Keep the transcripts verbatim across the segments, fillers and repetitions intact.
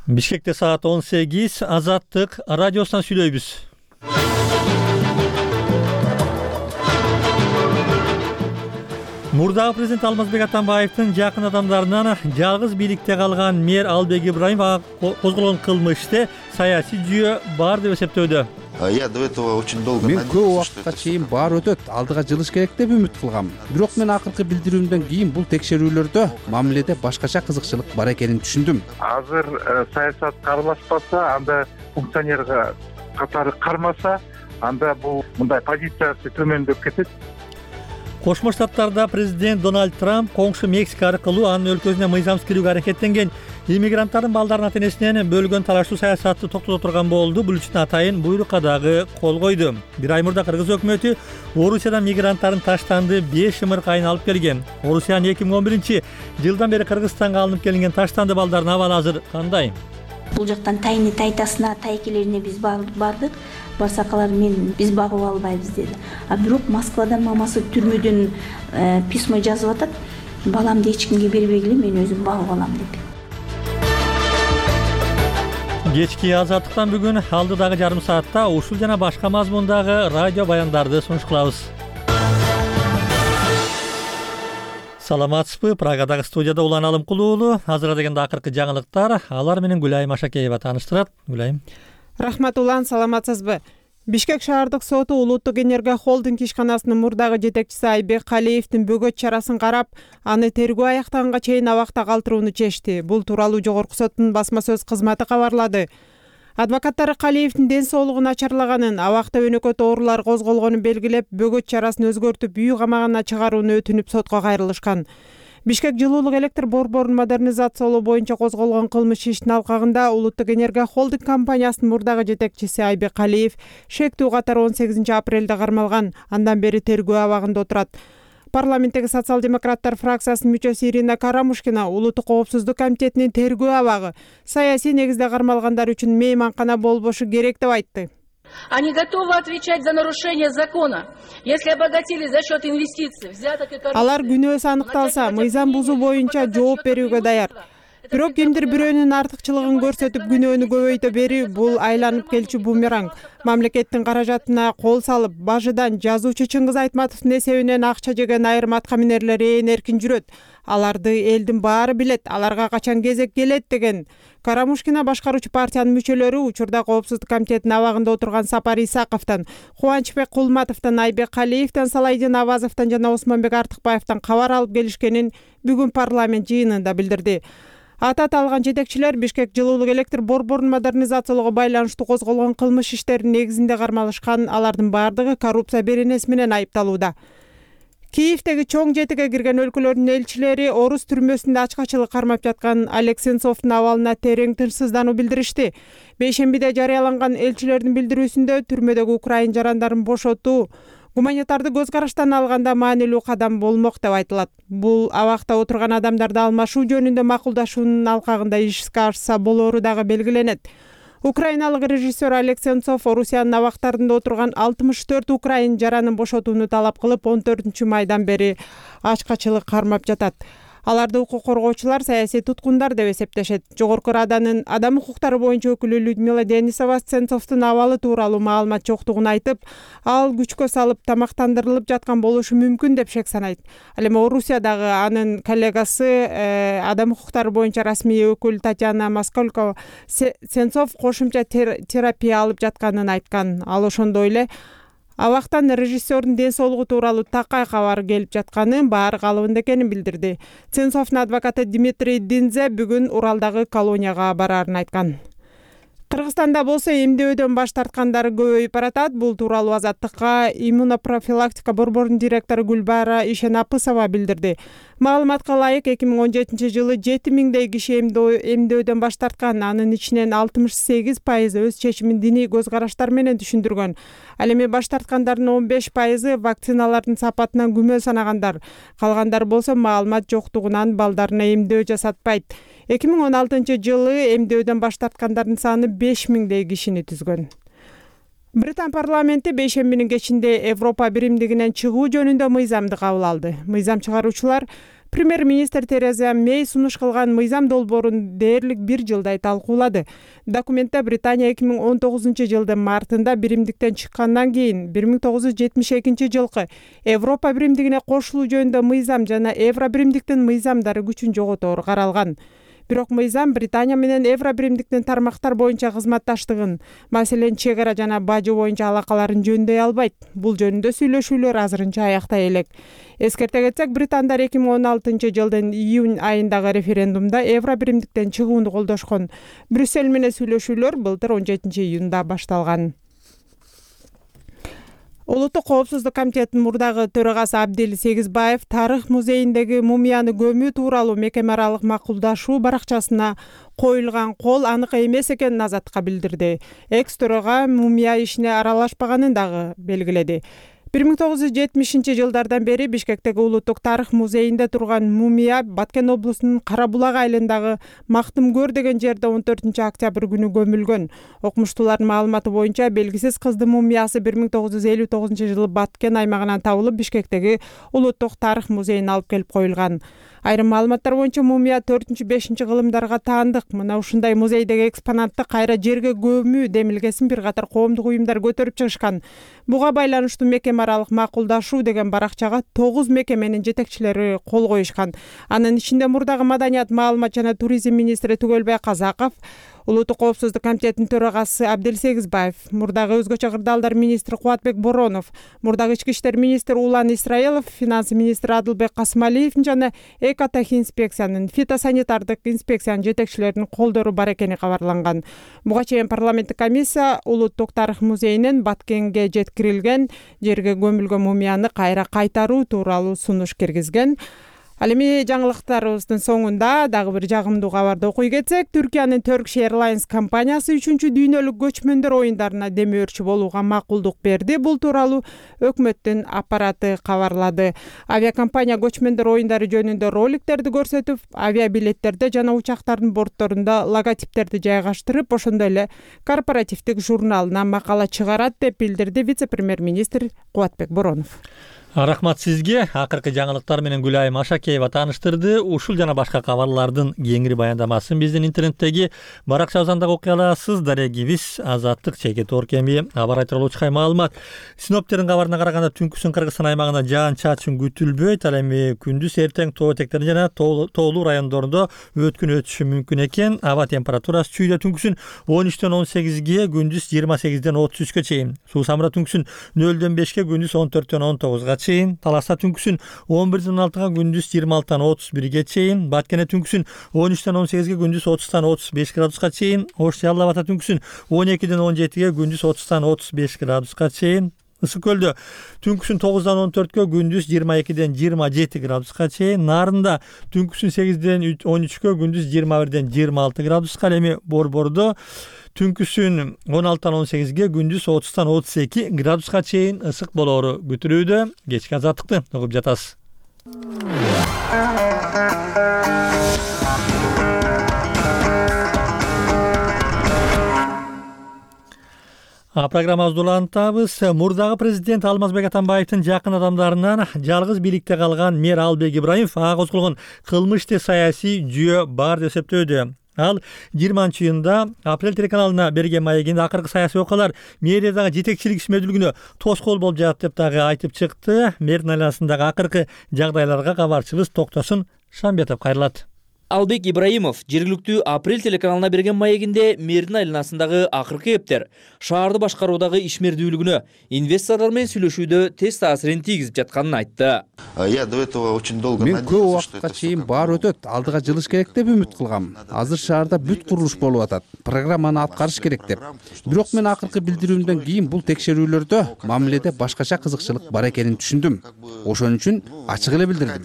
Бишкекте саат он сегиз. Азаттык радиосунан сүйлөйбүз. Мурдагы президент Алмазбек Атамбаевдин жакын адамдарынан жалгыз бийликте калган мэр Албек Ибраимов козголгон кылмышты саясий жүйө бар деп эсептөөдө. Я до этого очень долго мен көп убакытка чейин баары өтөт, алдыга жылыш керек деп үмүт кылгам. Бирок мен акыркы билдирүүмдөн кийин бул текшерүүлөрдө мамиледе башкача кызыкчылык бар экенин түшүндүм. Азыр саясат каралашпаса, анда функционерге катары кармаса, анда бул мындай позициясы төмөндөп кетет. Кошмо Штаттарда президент Дональд Трамп коңшу Мексика аркылуу анын өлкөсүнө мыйзамсыз кирүүгө аракеттенген иммигранттардын балдарын ата-энесинен бөлгөн талаштуу саясатты токтото турган болду. Бул үчүн атайын буйрукка дагы кол койду. Бир ай мурда Кыргыз өкмөтү Орусиядан мигранттардын таштанды беш ымыркайын алып келген. Орусиянын эки миң он биринчи жылдан бери Кыргызстанга алынып келинген таштанды балдардын абалы азыр кандай? Бул жактан тайны тайтасына, тайкелерине биз бардык. Барсак алар мен биз багып албайбыз деди. А бирок Москвадан мамасы түрмөдөн письмо жазып атат. Баламды эч кимге бербегиле, мен өзүм багып алам деп. Кечки Азаттыктан бүгүн алдыдагы жарым саатта ушул жана башка мазмундагы радио баяндарды сунуш кылабыз. Саламатсызбы? Прагадагы студияда Улан Алымкулуу уулу. Азыр дегенде акыркы жаңылыктар. Алар менен Гүлайым Ашакеева тааныштырат. Гүлайым. Рахмат Улан, саламатсызбы? Бишкек шаардык соту Улуттук энергия холдинг ишканасынын мурдагы жетекчиси Айбек Калиевдин бөгөт чарасын карап, аны тергөө аяктаганга чейин абакта калтырууну чечти. Бул тууралуу жогорку соттун басма сөз кызматы кабарлады. Адвокаттары Калиевдин ден соолугун начарлаганын, абакта өнөкөт оорулар козголгонун белгилеп, бөгөт чарасын өзгөртүп, үй камагына чыгарууну өтүнүп сотко кайрылышкан. Бишкек жылуулук электр борборун модернизациялоо боюнча козголгон кылмыш ишинин алкагында Улуттук энергия холдинг компаниясынын мурдагы жетекчиси Айбек Калиев шектүү катары он сегизинчи апрелде кармалган. Андан бери тергөө абагында отурат. Парламенттеги социал-демократтар фракциясынын мүчөсү Ирина Карамушкина Улуттук коопсуздук комитетинин тергөө абагы саясий негизде кармалгандар үчүн мейманкана болбошу керек деп айтты. Они готовы отвечать за нарушение закона, если обогатились за счет инвестиций, взяток и коррупции. Алар күнөөсү аныкталса, мыйзам бузуу боюнча жооп берүүгө даяр. Бирок кимдир бирөөнүн артыкчылыгын көрсөтүп күнөөнү көбөйтө берүү бул айланып келчү бумеранг. Мамлекеттин каражатына кол салып, бажыдан жазуучу Чыңгыз Айтматовдун эсебинен акча жеген айрым аткаминерлер ээн эркин жүрөт. Аларды элдин баары билет, аларга качан кезек келет деген. Карамушкина башкаруучу партиянын мүчөлөрү учурда коопсуздук комитетинин абагында отурган Сапар Исаковдон, Кубанычбек Кулматовдон, Айбек Калиевден, Салайдин Абазовдон жана Осмонбек Артыкбаевден кабар алып келишкенин бүгүн парламент жыйынында билдирди. Аты аталган жетекчилер Бишкек жылуулук электр борборун модернизациялоого байланыштуу козголгон кылмыш иштеринин негизинде кармалышкан. Алардын баардыгы коррупция беренеси менен айыпталууда. Киевдеги чоң жетиге кирген өлкөлөрдүн элчилери орус түрмөсүндө ачкачылык кармап жаткан Олег Сенцовдун абалына терең тынчсыздануу билдиришти. Бейшембиде жарыяланган элчилердин билдирүүсүндө түрмөдөгү украин жарандарын бошотуу гуманитарды көз караштан алганда маанилүү кадам болмок деп айтылат. Бул абакта отурган адамдарды алмашуу жөнүндө макулдашуунун алкагында ишке ашса болоору дагы белгиленет. Украиналык режиссер Олег Сенцов Орусиянын абактарында отурган алтымыш төрт украин жаранын бошотууну талап кылып, он төртүнчү майдан бери ачкачылык кармап жатат. Аларды укук коргоочулар саясий туткундар деп эсептешет. Жогорку Раданын адам укуктары боюнча өкүлү Людмила Денисова Сенцовдун абалы тууралуу маалымат жоктугун айтып, ал күчкө салып тамактандырылып жаткан болушу мүмкүн деп шек санайт. Ал эми Орусиядагы анын коллегасы адам укуктары боюнча расмий өкүл Татьяна Москалькова Сенцов кошумча терапия алып жатканын айткан. Ал ошондой эле абактан режиссердун ден соолугу тууралуу такай кабар келип жатканын, баары калыбында экенин билдирди. Сенцовдун адвокаты Дмитрий Динзе бүгүн Уралдагы колонияга бараарын айткан. Кыргызстанда болсо эмдөөдөн баш тарткандар көбөйүп баратат. Бул тууралуу Азаттыкка иммунопрофилактика борборунун директору Гүлбара Ишенапысова билдирди. Маалыматка ылайык эки миң он жетинчи жылы жети миңдей киши эмдөөдөн баш тарткан. Анын ичинен алтымыш сегиз пайызы өз чечимин диний көз караштар менен түшүндүргөн. Ал эми баш тарткандардын он беш пайызы вакциналардын сапатынан күмөн санагандар. Калгандар болсо маалымат жоктугунан балдарына эмдөө жасатпайт. эки миң он алтынчы жылы эмдөөдөн баш тарткандардын саны беш миңдей кишини түзгөн. Британ парламенти бейшембинин кечинде Европа биримдигинен чыгуу жөнүндө мыйзамды кабыл алды. Мыйзам чыгаруучулар Премьер-министр Тереза Мэй сунуш кылган мыйзам долбоорун дээрлик бир жылдай талкуулады. Документте Британия эки миң он тогузунчу жылдын мартында биримдиктен чыккандан кийин бир миң тогуз жүз жетимиш экинчи жылкы Европа биримдигине кошулуу жөнүндө мыйзам жана Евро биримдиктин мыйзамдары күчүн жоготору каралган. Бирок мыйзам Британия менен Евро биримдиктин тармактар боюнча кызматташтыгын, маселен чек ара жана бажы боюнча алакаларын жөндөй албайт. Бул жөнүндө сүйлөшүүлөр азырынча аяктай элек. Эскерте кетсек, британдар эки миң он алтынчы жылдын июнь айындагы референдумда Евро биримдиктен чыгууну колдошкон. Брюссель менен сүйлөшүүлөр былтыр он жетинчи июнда башталган. Улуттук коопсуздук комитетинин мурдагы төрагасы Абдел Сегизбаев Тарых музейиндеги мумияны көмүү тууралуу мекеме аралык макулдашуу баракчасына коюлган кол анык эмес экенин Азаттыкка билдирди. Экс төрага мумия ишине аралашпаганын дагы белгиледи. бир миң тогуз жүз жетимишинчи жылдардан бери Бишкектеги Улуттук Тарых музейинде турган мумия Баткен облусунун Кара Булак айылындагы Мактымкөр деген жерде он төртүнчү октябрь күнү көмүлгөн. Окумуштуулардын маалыматы боюнча белгисиз кыздын мумиясы бир миң тогуз жүз элүү тогузунчу жылы Баткен аймагынан табылып, Бишкектеги Улуттук Тарых музейине алып келип коюлган. Айрым маалыматтар боюнча мумия төртүнчү бешинчи кылымдарга таандык. Мына ушундай музейдеги экспонатты кайра жерге көмүү демилгесин бир катар коомдук уюмдар көтөрүп чыгышкан. Буга байланыштуу мекеме аралык макулдашуу деген баракчага тогуз мекеменин жетекчилери кол коюшкан. Анын ичинде мурдагы маданият, маалымат жана туризм министри Түгөлбай Казаков, Улуттук коопсуздук комитетинин төрагасы Абдел Сегизбаев, мурдагы өзгөчө кырдаалдар министри Кубатбек Боронов, мурдагы ички иштер министри Улан Исраилов, финанс министри Адылбек Касымалиевдин жана экотехинспекциянын, фитосанитардык инспекциянын жетекчилеринин колдору бар экени кабарланган. Буга чейин парламенттик комиссия Улуттук Тарых музейинен Баткенге жеткирилген жерге көмүлгөн мумияны кайра кайтаруу тууралуу сунуш киргизген. Ал эми жаңылыктарыбыздын соңунда дагы бир жагымдуу кабарды окуй кетсек, Түркиянын Turkish Airlines компаниясы үчүнчү дүйнөлүк көчмөндөр оюндарына демөөрчү болууга макулдук берди. Бул тууралуу өкмөттүн аппараты кабарлады. Авиакомпания көчмөндөр оюндары жөнүндө роликтерди көрсөтүп, авиабилеттерде жана учактардын бортторунда логотиптерди жайгаштырып, ошондой эле корпоративдик журналына макала чыгарат деп билдирди вице-премьер-министр Кубатбек Боронов. Рахмат сизге. Акыркы жаңылыктар менен Гүлайым Ашакеева тааныштырды. Ушул жана башка кабарлардын кеңири баяндамасын биздин интернеттеги баракчабыздан окуй аласыз. Дарегибиз Азаттык чекит оркеми аба айтырылуучу маалымат. Синоптердин кабарына караганда түнкүсүн Кыргызстан аймагында жаан-чачын күтүлбөйт. Ал эми күндүз эртең тоо этектеринде жана тоолуу райондордо өткүн өтүшү мүмкүн экен. Аба температурасы чүйдө түнкүсүн он үчтөн он сегизге, күндүз жыйырма сегизден отуз үчкө чейин. Суу самыра түнкүсүн нөлдөн бешке, күндүз он төрттөн он тогузга чейин. Таласта түнкүсүн он бирден он алтыга, күндүз жыйырма алтыдан отуз бирге чейин. Баткене түнкүсүн он үчтөн он сегизге, күндүз отуздан отуз беш градуска чейин. Ош Жалал Абада түнкүсүн он экиден он жетиге, күндүз отуздан отуз беш градуска чейин. Ысык көлдө түнкүсүн тогуздан он төрткө, күндүз жыйырма экиден жыйырма жети градуска чейин. Нарында түнкүсүн сегизден он үчкө, күндүз жыйырма бирден жыйырма алты градуска. Ал эми Борбордо түнкүсүн он алтыдан он сегизге, күндүз отуздан отуз эки градуска чейин ысык болоору күтүлүүдө. Кечки азаттыкты угуп жатасыз. А программабызды улантабыз. Мурдагы президент Алмазбек Атамбаевдин жакын адамдарынан жалгыз бийликте калган мэр Албек Ибраимов ага козголгон кылмышты саясий жүйө бар деп эсептөөдө. Ал жыйырманчы июнда Апрель телеканалына берген маегинде акыркы саясий окуялар мэриядагы жетекчилик ишмердүүлүгүнө тоскоол болуп жатат деп дагы айтып чыкты. Мэрдин айланасындагы акыркы жагдайларга кабарчыбыз Токтосун Шамбетов кайрылат. Албек Ибраимов жергиликтүү Апрель телеканалына берген маегинде мэрдин айланасындагы акыркы эптер шаарды башкаруудагы ишмердүүлүгүнө, инвесторлор менен сүйлөшүүдө тез таасирин тийгизип жатканын айтты. Я до этого очень долго Мен көп убакытка чейин баары өтөт, алдыга жылыш керек деп үмүт кылгам. Азыр шаарда бүт курулуш болуп атат. Программаны аткарыш керек деп. Бирок мен акыркы билдирүүмдөн кийин бул текшерүүлөрдө мамиледе башкача кызыкчылык бар экенин түшүндүм. Ошон үчүн ачык эле билдирдим.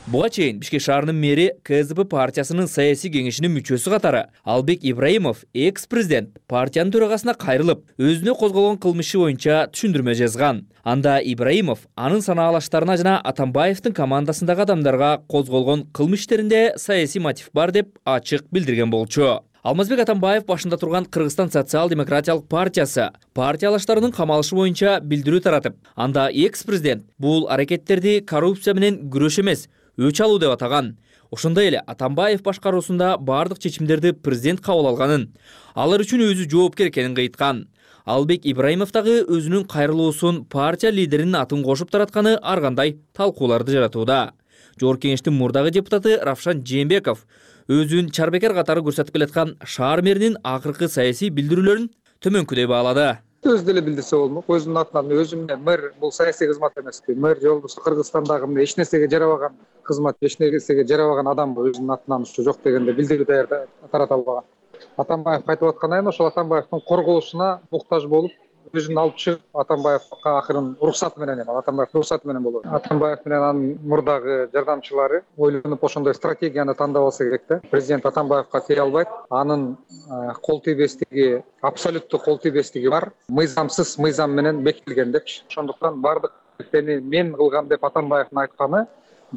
Буга чейин Бишкек шаарынын мэри КСДП партиясынын саясий кеңешинин мүчөсү катары Албек Ибраимов экс-президент партиянын төрагасына кайрылып, өзүнө козголгон кылмышы боюнча түшүндүрмө жазган. Анда Ибраимов анын санаалаштарына жана Атамбаевдин командасындагы адамдарга козголгон кылмыш иштеринде саясий мотив бар деп ачык билдирген болчу. Алмазбек Атамбаев башында турган Кыргызстан социал-демократиялык партиясы партиялаштарынын камалышы боюнча билдирүү таратып, анда экс-президент бул аракеттерди коррупция менен күрөш эмес, өч алуу деп атаган. Ошондой эле Атамбаев башкаруусунда бардык чечимдерди президент кабыл алганын, алар үчүн өзү жоопкер экенин айткан. Албек Ибраимов дагы өзүнүн кайрылуусун партия лидеринин атын кошуп таратканы ар кандай талкууларды жаратууда. Жогорку кеңештин мурдагы депутаты Равшан Жээнбеков өзүн чарбекер катары көрсөтүп келаткан шаар мэринин акыркы саясий билдирүүлөрүн төмөнкүдөй баалады. Өзү деле билдирсе болмок. Өзүмдүн атынан өзүм мэр бул саясий кызмат эмеспи. Мэр жолдосу Кыргызстандагы эч нерсеге жарабаган кызмат, эч нерсеге жарабаган адам өзүнүн атынан ушу жок дегенде билдирүү даярда тарата албаган. Атамбаев айтып аткан айын ошол Атамбаевдин корголушуна муктаж болуп, өзүн алып чыгып, Атамбаевга акырын уруксаты менен, Атамбаевдин уруксаты менен болот. Атамбаев менен анын мурдагы жардамчылары ойлонуп ошондой стратегияны тандап алса керек да. Президент Атамбаевга тие албайт. Анын кол тийбестиги, абсолюттуу кол тийбестиги бар. Мыйзамсыз мыйзам менен бекитилген депчи. Ошондуктан бардык нерсени мен кылгам деп Атамбаевдин айтканы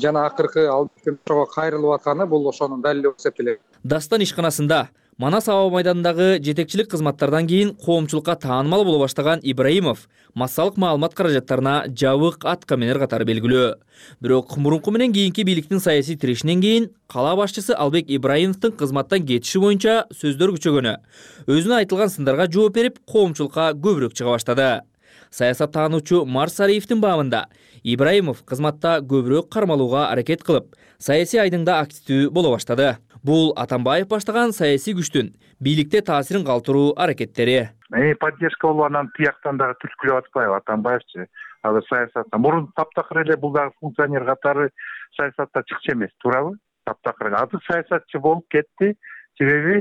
жана акыркы Албектин ошого кайрылып атканы бул ошонун далили болуп эсептелет. Дастан ишканасында Манас аба майданындагы жетекчилик кызматтардан кийин коомчулукка таанымал боло баштаган Ибраимов массалык маалымат каражаттарына жабык аткаминер катары белгилүү. Бирок мурунку менен кийинки бийликтин саясий тирешинен кийин кала башчысы Албек Ибраимовдун кызматтан кетиши боюнча сөздөр күчөгөнү, өзүнө айтылган сындарга жооп берип, коомчулукка көбүрөөк чыга баштады. Саясаттануучу Марс Сариевдин баамында Ибраимов кызматта көбүрөөк кармалууга аракет кылып, саясий айдыңда активдүү боло баштады. Бул Атамбаев баштаган саясий күчтүн бийликте таасирин калтыруу аракеттери. Эми поддержка болуп анан тияктан дагы түрткүлөп атпайбы Атамбаевчы? Азыр саясатта мурун таптакыр эле бул дагы функционер катары саясатта чыкчу эмес, туурабы? Таптакыр. Азыр саясатчы болуп кетти. Себеби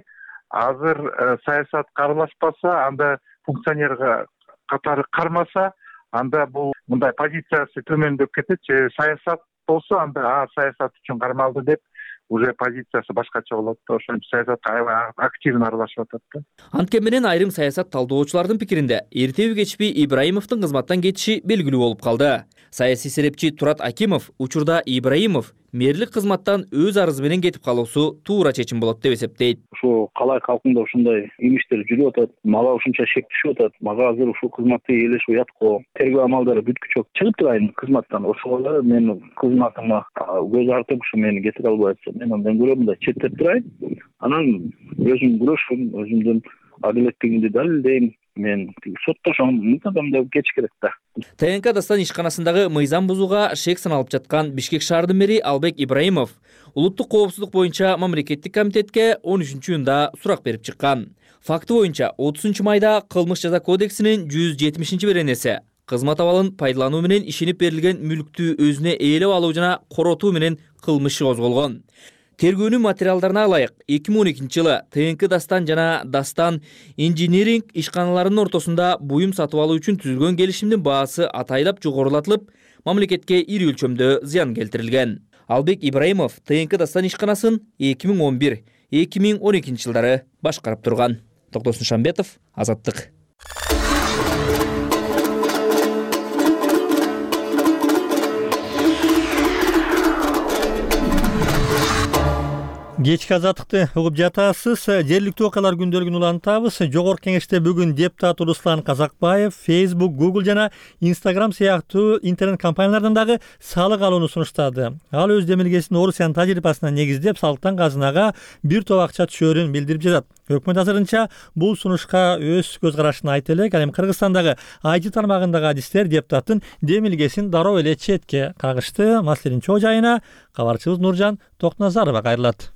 азыр саясат каралашпаса, анда функционер катары кармаса, анда бул мындай позициясы төмөндөп кетет. Саясат болсо, анда саясат үчүн кармалды деп уже позициясы башкача болот да, ошентип саясатка аябай активно аралашып атат да. Анткени менен айрым саясат талдоочулардын пикиринде эртеби кечпи Ибраимовдун кызматтан кетиши белгилүү болуп калды. Саясий серепчи Турат Акимов учурда Ибраимов мэрлик кызматтан өз арызы менен кетип калуусу туура чечим болот деп эсептейт. Ошо калай калкында ушундай имиштер жүрүп атат, мага ушунча шек түшүп атат, мага азыр ушул кызматты ээлешип уятко, тергөө амалдары бүткүчө чыгып турайын кызматтан. Ошого мен кызматыма көз артып ушу мени кетире албай атса, мен андан көрө мындай четтеп турайын, анан өзүм күрөшүм, өзүмдүн адилеттигимди далилдейм. Мен соттошом, мынтадам деп кеч керек да. ТНК Дастан ишканасындагы мыйзам бузууга шек саналып жаткан Бишкек шаарынын мэри Албек Ибраимов улуттук коопсуздук боюнча мамлекеттик комитетке он үчүнчү июнда сурак берип чыккан. Факты боюнча отузунчу майда Кылмыш жаза кодексинин жүз жетимишинчи беренеси кызмат абалын пайдалануу менен ишенип берилген мүлктү өзүнө ээлеп алуу жана коротуу менен кылмышы козголгон. Тергөөнүн материалдарына ылайык эки миң он экинчи жылы ТНК Дастан жана Дастан инжиниринг ишканаларынын ортосунда буюм сатып алуу үчүн түзүлгөн келишимдин баасы атайлап жогорулатылып, мамлекетке ири өлчөмдө зыян келтирилген. Албек Ибраимов ТНК Дастан ишканасын эки миң он бир эки миң он экинчи жылдары башкарып турган. Токтосун Шамбетов, Азаттык. Кечки Азаттыкты угуп жатасыз. Жергиликтүү окуялар күндөлүгүн улантабыз. Жогорку кеңеште бүгүн депутат Руслан Казакбаев Facebook, Google жана Instagram сыяктуу интернет компаниялардан дагы салык алууну сунуштады. Ал өз демилгесин Орусиянын тажрыйбасына негиздеп, салыктан казынага бир топ акча түшөөрүн билдирип жатат. Өкмөт азырынча бул сунушка өз көз карашын айтып элек, ал эми Кыргызстандагы ай ти тармагындагы адистер депутаттын демилгесин дароо эле четке кагышты. Маселенин чоо жайына кабарчыбыз Нуржан Токназарова кайрылат.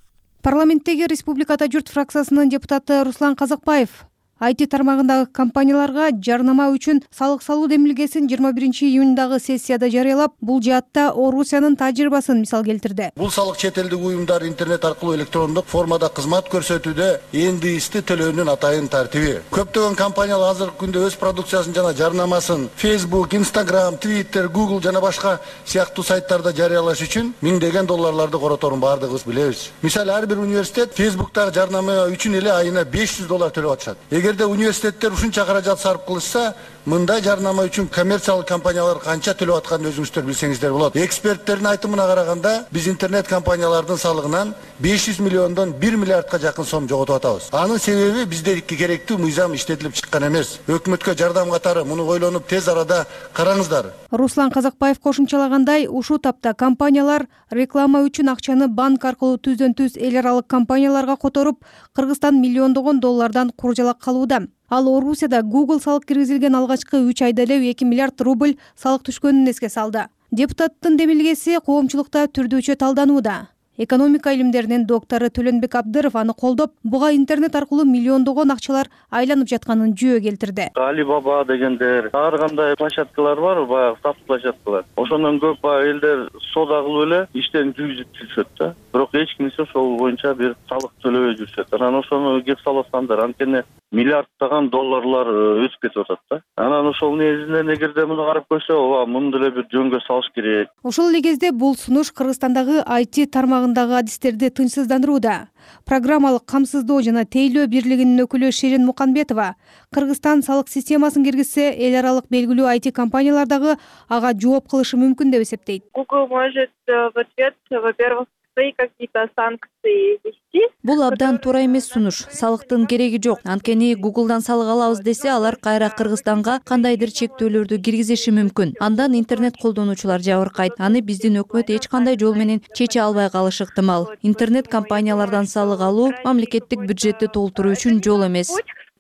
Парламенттеги Республикада журт фракциясынын депутаты Руслан Казакбаев ай ти тармагындагы компанияларга жарнама үчүн салык салуу демилгесин жыйырма биринчи июндагы сессияда жарыялап, бул жаатта Орусиянын тажрыйбасын мисал келтирди. Бул салык чет элдик уюмдар интернет аркылуу электрондук формада кызмат көрсөтүүдө эндиисти төлөөнүн атайын тартиби. Көптөгөн компаниялар азыркы күндө өз продукциясын жана жарнамасын Facebook, Instagram, Twitter, Google жана башка сыяктуу сайттарда жарыялаш үчүн миңдеген долларларды короторун бардыгыбыз билебиз. Мисалы, ар бир университет Facebook'тагы жарнама үчүн эле айына беш жүз доллар төлөп атышат. Эгерде университеттер ушунча каражат сарп кылышса, мындай жарнама үчүн коммерциялык компаниялар канча төлөп атканын өзүңүздөр билсеңиздер болот. Эксперттердин айтымына караганда, биз интернет компаниялардын салыгынан беш жүз миллиондон бир миллиардка жакын сом жоготуп атабыз. Анын себеби биздеки керектүү мыйзам иштетилип чыккан эмес. Өкмөткө жардам катары муну ойлонуп тез арада караңыздар. Руслан Казакбаев кошумчалагандай, ушул тапта компаниялар реклама үчүн акчаны банк аркылуу түздөн түз эл аралык компанияларга которуп, Кыргызстан миллиондогон доллардан куржалак калууда. Ал Орусияда Google салык киргизилген алгачкы үч айда эле эки миллиард рубль салык түшкөнүн эске салды. Депутаттын демилгеси коомчулукта түрдүүчө талданууда. Экономика илимдеринин доктору Төлөнбек Абдыров аны колдоп, буга интернет аркылуу миллиондогон акчалар айланып жатканын жөө келтирди. Alibaba дегендер, ар кандай площадкалар бар, баягы сатып площадкалар. Ошондон көп элдер сода кылып эле иштен жүргүзүп жүрүшөт да. Бирок эч кимсе ошол боюнча бир салык төлөбөй жүрүшөт. Анан ошону кеп салсаңдар, анткени миллиарддаган долларлар өсүп кетип атат да. Анан ошол негизинен эгерде муну карап көрсө, ооба муну деле бир жөнгө салыш керек. Ошол эле кезде бул сунуш Кыргызстандагы ай ти тармагындагы адистерди тынчсыздандырууда. Программалык камсыздоо жана тейлөө бирлигинин өкүлү Шерин Муканбетова Кыргызстан салык системасын киргизсе, эл аралык белгилүү ай ти компаниялар дагы ага жооп кылышы мүмкүн деп эсептейт. Google может в ответ, во-первых, какие-то санкции вести. Бул абдан туура эмес сунуш. Салыктын кереги жок. Анткени Google'дан салык алабыз десе, алар кайра Кыргызстанга кандайдыр чектөөлөрдү киргизиши мүмкүн. Андан интернет колдонуучулар жабыркайт. Аны биздин өкмөт эч кандай жол менен чече албай калышы ыктымал. Интернет компаниялардан салык алуу мамлекеттик бюджетти толтуруу үчүн жол эмес.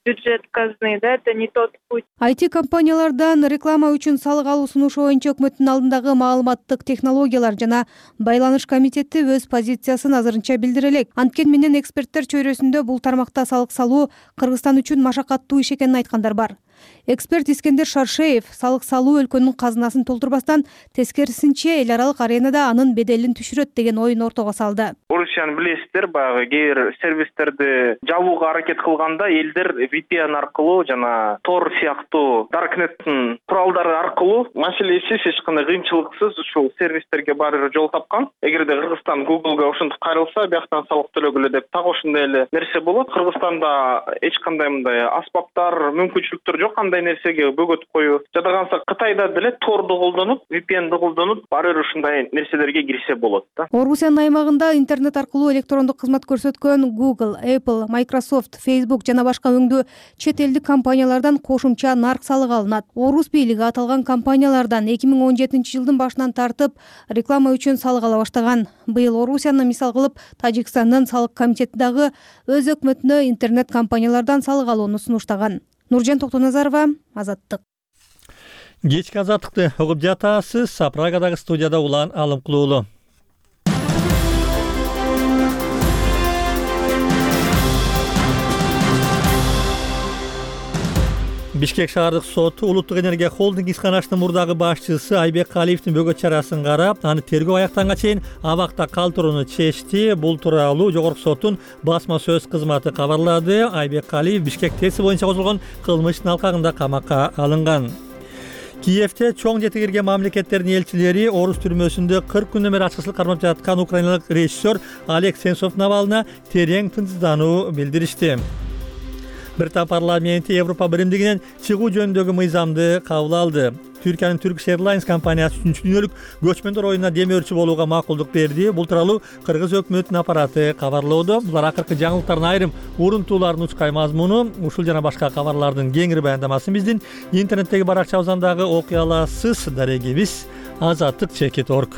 Бюджет казны, да, это не тот путь. ай ти компаниялардан реклама үчүн салык алуу сунушу боюнча өкмөттүн алдындагы маалыматтык технологиялар жана байланыш комитети өз позициясын азырынча билдире элек. Анткени менен эксперттер чөйрөсүндө бул тармакта салык салуу Кыргызстан үчүн машакаттуу иш экенин айткандар бар. Эксперт Искендер Шаршеев салык салуу өлкөнүн казынасын толтурбастан, тескерисинче эл аралык аренада анын беделин түшүрөт деген ойун ортого салды. Орусияны билесиздер, баягы кээ бир сервистерди жабууга аракет кылганда элдер ви пи эн аркылуу жана Tor сыяктуу Darknet'тин куралдары аркылуу маселесиз, эч кандай кыйынчылыксыз ушул сервистерге барып жол тапкан. Эгерде Кыргызстан Google'га ошентип кайрылса, бияктан салык төлөгүлө деп так ошондой эле нерсе болот. Кыргызстанда эч кандай мындай аспаптар, мүмкүнчүлүктөр жок кандай нерсеге бөгөтүп коюу. Жада калса Кытайда деле Tor'ду колдонуп, ви пи энди колдонуп, баары бир ушундай нерселерге кирсе болот да. Орусиянын аймагында интернет аркылуу электрондук кызмат көрсөткөн Google, Apple, Microsoft, Facebook жана башка өңдүү чет элдик компаниялардан кошумча нарк салыгы алынат. Орус бийлиги аталган компаниялардан эки миң он жетинчи жылдын башынан тартып реклама үчүн салык ала баштаган. Быйыл Орусияны мисал кылып, Тажикстандын салык комитети дагы өз өкмөтүнө интернет компаниялардан салык алууну сунуштаган. Нуржан Токтоназарова, Азаттык. Кечки азаттыкты угуп жатасыз. Прагадагы студияда Улан Алымкулуулу. Бишкек шаардык соту Улуттук энергия холдинг ишканашынын мурдагы башчысы Айбек Калиевдин бөгөт чарасын карап, аны тергөө аяктанга чейин абакта калтырууну чечти. Бул тууралуу Жогорку соттун басма сөз кызматы кабарлады. Айбек Калиев Бишкек ТЭСи боюнча козголгон кылмыштын алкагында камакка алынган. Киевде чоң жети кирген мамлекеттердин элчилери Орус түрмөсүндө кырк күндөн бери ачкычылык кармап жаткан украиналык режиссер Олег Сенцовдун абалына терең тынчсыздануу билдиришти. Британ парламенти Европа биримдигинен чыгуу жөнүндөгү мыйзамды кабыл алды. Түркиянын Turkish Airlines компаниясы үчүнчү дүйнөлүк көчмөндөр оюнуна демөөрчү болууга макулдук берди. Бул тууралуу Кыргыз өкмөтүнүн аппараты кабарлоодо. Булар акыркы жаңылыктардын айрым урунтууларын учкай мазмуну. Ушул жана башка кабарлардын кеңири баяндамасын биздин интернеттеги баракчабыздан дагы окуй аласыз. Дарегибиз азаттык чекит точка орг.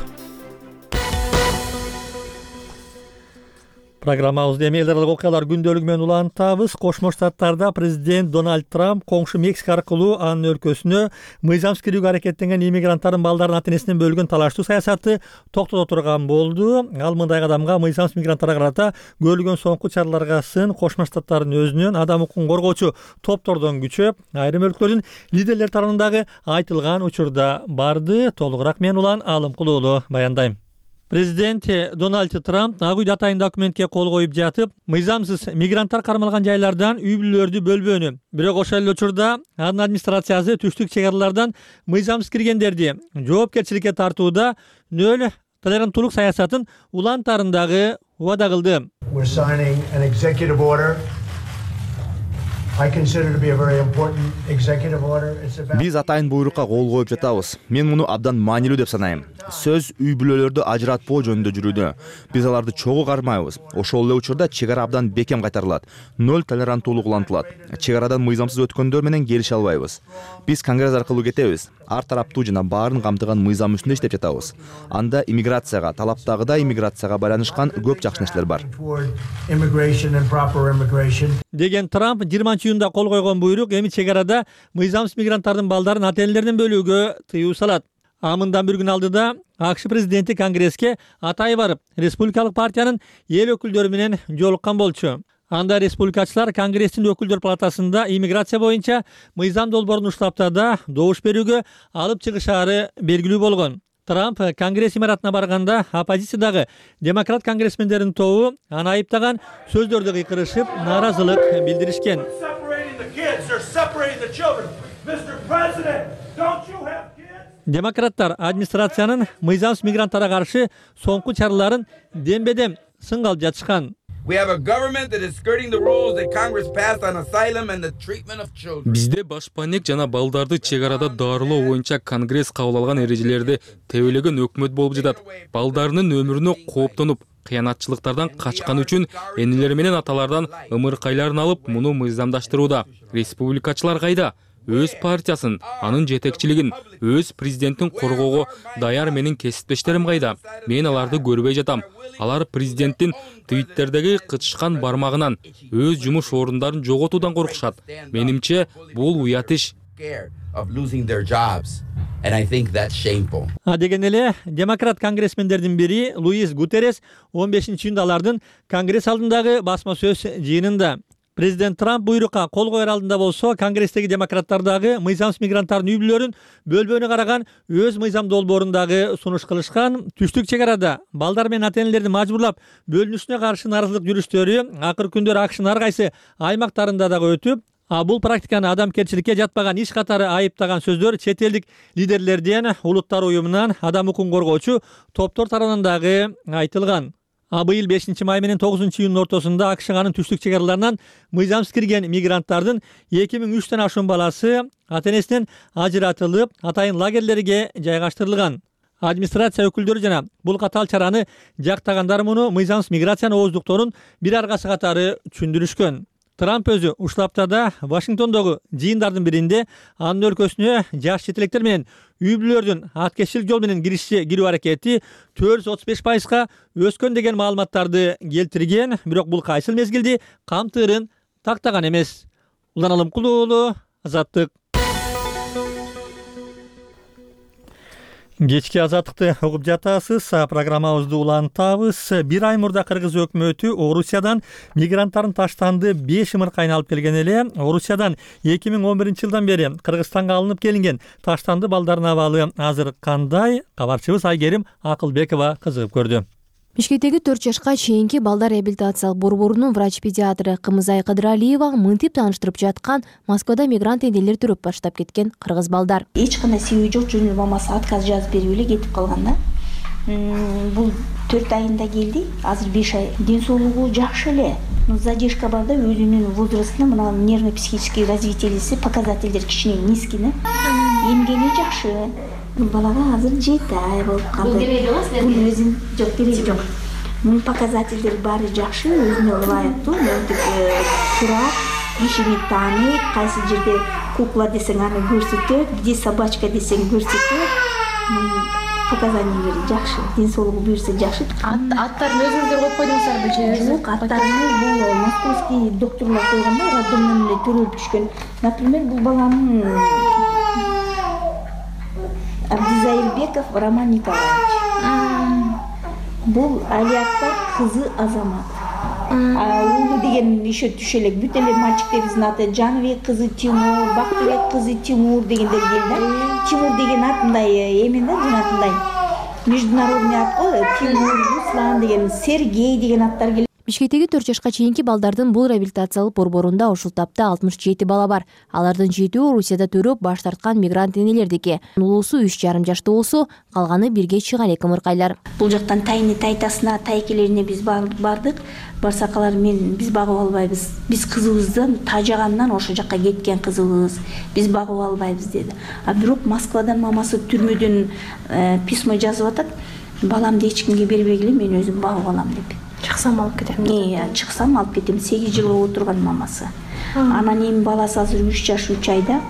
Программабызды эми эл аралык окуялар күндөлүгү менен улантабыз. Кошмо Штаттарда президент Дональд Трамп коңшу Мексика аркылуу анын өлкөсүнө мыйзамсыз кирүүгө аракеттенген иммигранттардын балдарын ата-энесинен бөлгөн талаштуу саясатты токтото турган болду. Ал мындай кадамга мыйзамсыз мигранттарга карата көрүлгөн соңку чараларга сын Кошмо Штаттардын өзүнөн адам укугун коргоочу топтордон күчөп, айрым өлкөлөрдүн лидерлери тарабындагы айтылган учурда барды. Толугураак мен Улан Алымкулуулу баяндайм. Президент Дональд Трамп ак үйдө атайын документке кол коюп жатып, мыйзамсыз мигранттар кармалган жайлардан үй бүлөлөрдү бөлбөөнү, бирок ошол эле учурда анын администрациясы түштүк чек аралардан мыйзамсыз киргендерди жоопкерчиликке тартууда нөл толеранттуулук саясатын улантарын дагы убада кылды. Биз атайын буйрукка кол коюп жатабыз. Мен муну абдан маанилүү деп санайм. Сөз үй бүлөлөрдү ажыратпоо жөнүндө жүрүүдө. Биз аларды чогуу кармайбыз. Ошол эле учурда чек ара абдан бекем кайтарылат. Ноль толеранттуулук улантылат. Чек арадан мыйзамсыз өткөндөр менен келише албайбыз. Биз Конгресс аркылуу кетебиз. Ар тараптуу жана баарын камтыган мыйзам үстүндө иштеп жатабыз. Анда иммиграцияга, талаптагыдай иммиграцияга байланышкан көп жакшы нерселер бар. Деген Трамп жыйырманчы июнда кол койгон буйрук эми чек арада мыйзамсыз мигранттардын балдарын ата-энелеринен бөлүүгө тыюу салат. А мындан бир күн алдыда АКШ президенти Конгресске атай барып, республикалык партиянын эл өкүлдөрү менен жолуккан болчу. Анда республикачылар Конгресстин өкүлдөр палатасында иммиграция боюнча мыйзам долбоорун уштаптада добуш берүүгө алып чыгышаары белгилүү болгон. Трамп Конгресс имаратына барганда оппозициядагы демократ конгрессмендердин тобу аны айыптаган сөздөрдү кыйкырышып, нааразылык билдиришкен. Демократтар администрациянын мыйзамсыз мигранттарга каршы соңку чараларын дембедем сынга алып жатышкан. Бизде башпанек жана балдарды чек арада дарылоо боюнча Конгресс кабыл алган эрежелерди тебелеген өкмөт болуп жатат. Балдарынын өмүрүнө кооптонуп, кыянатчылыктардан качкан үчүн энелери менен аталардан ымыркайларын алып, муну мыйзамдаштырууда. Республикачылар кайда? Өз партиясын, анын жетекчилигин, өз президенттин коргоого даяр менин кесиптештерим кайда? Мен аларды көрбөй жатам. Алар президенттин твиттердеги кычышкан бармагынан, өз жумуш орундарын жоготуудан коркушат. Менимче, бул уят иш. А деген эле демократ конгрессмендердин бири Луис Гутеррес он бешинчи июнда алардын Конгресс алдындагы басма сөз жыйынында Президент Трамп буйрукка кол коер алдында болсо, Конгресстеги демократтар дагы мыйзамсыз мигранттардын үй бүлөлөрүн бөлбөөнү караган өз мыйзам долбоорун дагы сунуш кылышкан. Түштүк чек арада балдар менен ата-энелерди мажбурлап бөлүнүшүнө каршы нааразылык жүрүштөрү акыркы күндөр АКШнын ар кайсы аймактарында дагы өтүп, а бул практиканы адамгерчиликке жатпаган иш катары айыптаган сөздөр чет элдик лидерлерден, улуттар уюмунан, адам укугун коргоочу топтор тарабынан дагы айтылган. А быйыл бешинчи май менен тогузунчу июндун ортосунда АКШ анын түштүк чек араларынан мыйзамсыз кирген мигранттардын эки миң үчтөн ашуун баласы ата-энесинен ажыратылып, атайын лагерлерге жайгаштырылган. Администрация өкүлдөрү жана бул катаал чараны жактагандар муну мыйзамсыз миграциянын ооздуктоонун бир аргасы катары түшүндүрүшкөн. Трамп өзү ушул аптада Вашингтондогу жыйындардын биринде анын өлкөсүнө жаш четелектер менен үй бүлөлөрдүн аткезчилик жол менен кириши кирүү аракети төрт жүз отуз беш пайызга өскөн деген маалыматтарды келтирген, бирок бул кайсыл мезгилди камтырын тактаган эмес. Улан Алымкулуу уулу, Азаттык. Кечки Азаттыкты угуп жатасыз. Программабызды улантабыз. Бир ай мурда Кыргыз өкмөтү Орусиядан мигранттарын таштанды беш ымыркайын алып келген эле. Орусиядан эки миң он биринчи жылдан бери Кыргызстанга алынып келинген таштанды балдардын абалы азыр кандай? Кабарчыбыз Айгерим Акылбекова кызыгып көрдү. Бишкектеги төрт жашка чейинки балдар реабилитациялык борборунун врач-педиатры Кымызай Кыдыралиева мынтип тааныштырып жаткан Москвада мигрант энелер төрөп баштап кеткен кыргыз балдар. Эч кандай себеби жок, жөн эле мамасы отказ жазып берип эле кетип калган да. Бул төрт айында келди, азыр беш ай. Ден соолугу жакшы эле. Задержка бар да, өзүнүн возрастына мына нервно-психический развитиелиси показательдер кичине низкий да. Эмгени жакшы. Бул балага азыр жети ай болуп калды. Бул өзүн жок кереги жок. Мунун показательдери баары жакшы, өзүнө ылайыктуу, мынтип турат, ишини тааныйт, кайсы жерде кукла десең аны көрсөтөт, где собачка десең көрсөтөт. Показаниялери жакшы, ден соолугу буюрса жакшы. Аттарын өзүңүздөр коюп койдуңуздарбы же? Жок, аттарын бул московский докторлор койгон да, роддомдон эле төрөлүп түшкөн. Например, бул баланын Абдизаилбеков Роман Николаевич. Бул Алиактар кызы Азамат. Уулу деген еще түшө элек. Бүт эле мальчиктерибиздин аты Жаныбек кызы Тимур, Бактыбек кызы Тимур дегендер келди. Тимур деген ат мындай эмен да, жанатындай. Международный ат го, Тимур, Руслан деген, Сергей деген аттар келет. Бишкектеги төрт жашка чейинки балдардын бул реабилитациялык борборунда ушул тапта алтымыш жети бала бар. Алардын жетөө Орусияда төрөп баш тарткан мигрант энелердики. Улуусу үч жарым жашта болсо, калганы бирге чыга элек ымыркайлар. Бул жактан тайны тайтасына, тайкелерине биз бардык. Барсак алар мен биз багып албайбыз. Биз кызыбыздан тажагандан ошол жакка кеткен кызыбыз. Биз багып албайбыз деди. А бирок Москвадан мамасы түрмөдөн письмо жазып атат. Баламды эч кимге бербегиле, мен өзүм багып алам деп. Чыксам алып кетем. Э, чыксам алып кетем. сегиз жылга отурган мамасы. Анан эми баласы азыр үч жаш үч айда.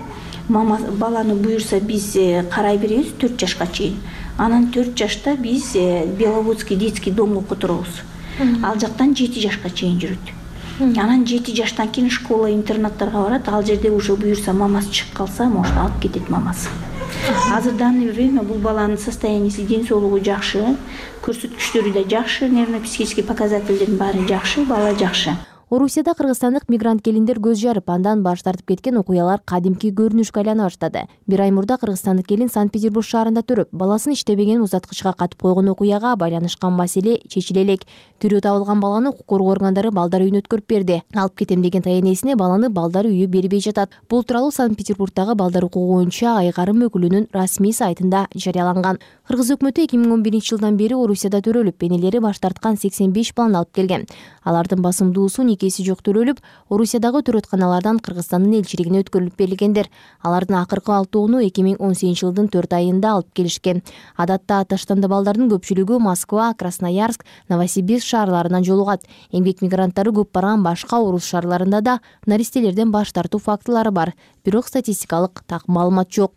Мама баланы буюрса биз карай беребиз төрт жашка чейин. Анан төрт жашта биз Беловодский детский домго которобуз. Ал жактан жети жашка чейин жүрөт. Анан жети жаштан кийин школа интернаттарга барат. Ал жерде уже буюрса мамасы чыгып калса, может алып кетет мамасы. Азыр данный время бул баланын состояниясы, ден соолугу жакшы, көрсөткүчтөрү да жакшы, нервно-психический показательдердин баары жакшы, бала жакшы. Орусияда кыргызстандык мигрант келиндер көз жарып, андан баш тартып кеткен окуялар кадимки көрүнүшкө айлана баштады. Бир ай мурда кыргызстандык келин Санкт-Петербург шаарында төрөп, баласын иштебеген узаткычка катып койгон окуяга байланышкан маселе чечиле элек. Тирүү табылган баланы укук коргоо органдары балдар үйүнө өткөрүп берди. Алып кетем деген таянесине баланы балдар үйү бербей жатат. Бул тууралуу Санкт-Петербургдагы балдар укугу боюнча айгарым өкүлүнүн расмий сайтында жарыяланган. Кыргыз өкмөтү эки миң он биринчи жылдан бери Орусияда төрөлүп, энелери баш тарткан сексен беш баланы алып келген. Алардын басымдуусу никеси жок төрөлүп, Орусиядагы төрөтканалардан Кыргызстандын элчилигине өткөрүлүп берилгендер. Алардын акыркы алтоону эки миң он сегизинчи жылдын төрт айында алып келишкен. Адатта Таштанда балдардын көпчүлүгү Москва, Красноярск, Новосибирск шаарларынан жолугат. Эмгек мигранттары көп барган башка орус шаарларында да наристелерден баш тартуу фактылары бар. Бирок статистикалык так маалымат жок.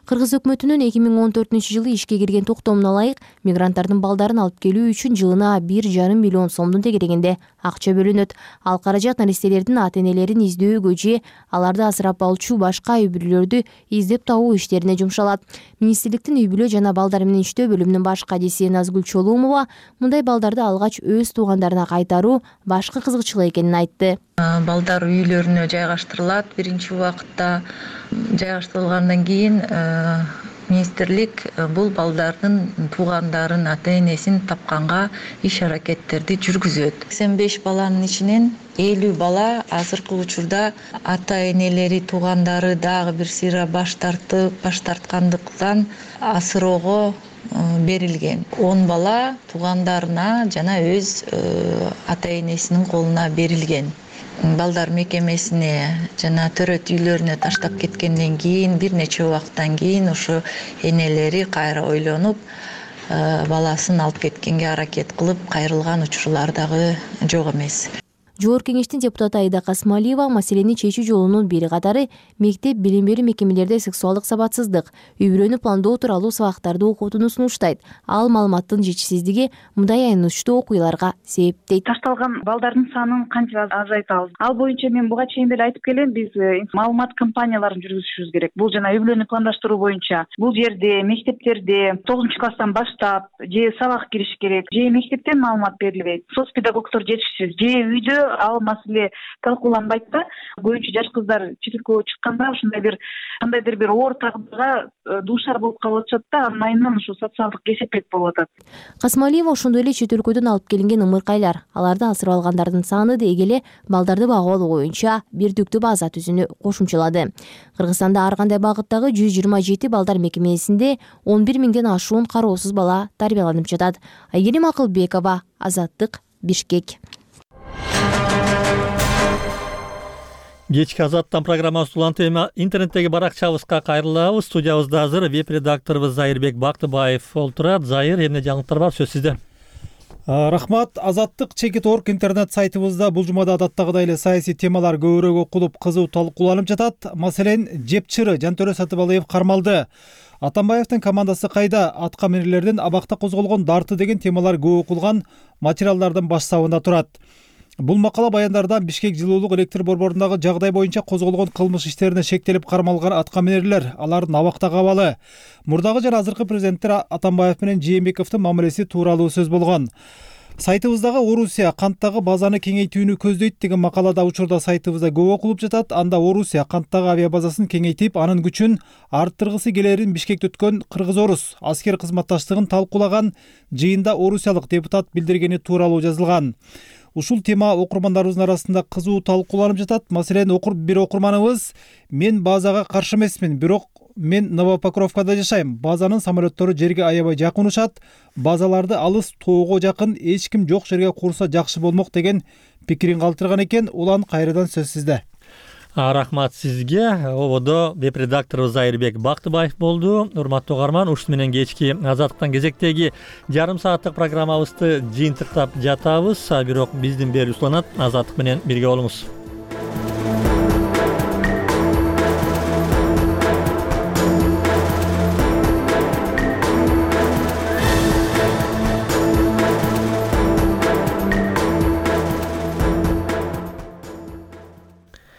Кыргыз өкмөтүнүн эки миң он төртүнчү жылы ишке кирген токтомуна ылайык мигранттардын балдарын алып келүү үчүн жылына бир жарым миллион сомдун тегерегинде акча бөлүнөт. Ал каражат наристелердин ата-энелерин издөөгө же аларды асырап алчу башка үй бүлөлөрдү издеп табуу иштерине жумшалат. Министрликтин үй бүлө жана балдар менен иштөө бөлүмүнүн баш кадиси Назгүл Чолумова мындай балдарды алгач өз туугандарына кайтаруу башкы кызыкчылык экенин айтты. Балдар үйлөрүнө жайгаштырылат. Биринчи убакытта жайгаштырылгандан кийин министрлик бул балдардын туугандарын, ата-энесин тапканга иш-аракеттерди жүргүзөт. сексен беш баланын ичинен элүү бала азыркы учурда ата-энелери, туугандары дагы бир сыйра баш тартып, баш тарткандыктан асыроого берилген. он бала туугандарына жана өз ата-энесинин колуна берилген. Балдар мекемесине жана төрөт үйлөрүнө таштап кеткенден кийин бир нече убакыттан кийин ошо энелери кайра ойлонуп баласын алып кеткенге аракет кылып кайрылган учурлар дагы жок эмес. Жогорку кеңештин депутаты Айда Касмалиева маселени чечүү жолунун бири катары мектеп билим берүү мекемелерде сексуалдык сабатсыздык, үй бүлөнү пландоо тууралуу сабактарды окутууну сунуштайт. Ал маалыматтын жетишсиздиги мындай аянычтуу окуяларга себептейт. Ташталган балдардын санын канча азайтабыз? Ал боюнча мен буга чейин деле айтып келем, биз маалымат кампанияларын жүргүзүшүбүз керек. Бул жана үй бүлөнү пландаштыруу боюнча бул жерде, мектептерде тогузунчу класстан баштап же сабак кириш керек, же мектептен маалымат берилбейт, соц педагогдор жетишсиз, же үйдө ал маселе талкууланбайт да. Көбүнчө жаш кыздар чет өлкөгө чыкканда ушундай бир кандайдыр бир оор тагдырга дуушар болуп калып атышат да, анын айынан ушу социалдык кесепет болуп атат. Касмалиева ошондой эле чет өлкөдөн алып келинген ымыркайлар, аларды асырап алгандардын саны деги эле балдарды багып алуу боюнча бирдиктүү база түзүүнү кошумчалады. Кыргызстанда ар кандай багыттагы жүз жыйырма жети балдар мекемесинде он бир миңден ашуун кароосуз бала тарбияланып жатат. Айгерим Акылбекова, Азаттык, Бишкек. Кечки Азаттан программасы уланты эми интернеттеги баракчабызга кайрылабыз. Студиябызда азыр веб-редакторубуз Зайырбек Бактыбаев олтурат. Зайыр, эмне жаңылыктар бар, сөз сизде. Рахмат. Азаттык чекит точка орг интернет сайтыбызда бул жумада адаттагыдай эле саясий темалар көбүрөөк окулуп, кызуу талкууланып жатат. Маселен, жепчыры Жантөрө Сатыбалиев кармалды. Атамбаевдин командасы кайда? Атка минерлердин абакта козголгон дарты деген темалар көп окулган материалдардын баш сабында турат. Бул макала баяндардан Бишкек жылуулук электр борборундагы жагдай боюнча козголгон кылмыш иштерине шектелип кармалган аткаминерлер, алардын абактагы абалы, мурдагы жана азыркы президенттер Атамбаев менен Жээнбековдун мамилеси тууралуу сөз болгон. Сайтыбыздагы Орусия канттагы базаны кеңейтүүнү көздөйт деген макалада учурда сайтыбызда көп окулуп жатат. Анда Орусия канттагы авиабазасын кеңейтип, анын күчүн арттыргысы келерин Бишкекте өткөн кыргыз-орус аскер кызматташтыгын талкуулаган жыйында орусиялык депутат билдиргени тууралуу жазылган. Ушул тема окурмандарыбыздын арасында кызуу талкууланып жатат. Маселен, окур бир окурманыбыз: мен базага каршы эмесмин, бирок мен Новопокровкада жашайм. Базанын самолеттору жерге аябай жакын учат. Базаларды алыс тоого жакын эч ким жок жерге курса жакшы болмок деген пикирин калтырган экен. Улан кайрадан сөз сизде. Рахмат сизге. Ободо веб редакторубуз Айырбек Бактыбаев болду. Урматтуу угарман, ушуну менен кечки Азаттыктан кезектеги жарым сааттык программабызды жыйынтыктап жатабыз. Бирок биздин берүүбүз уланат. Азаттык менен бирге болуңуз.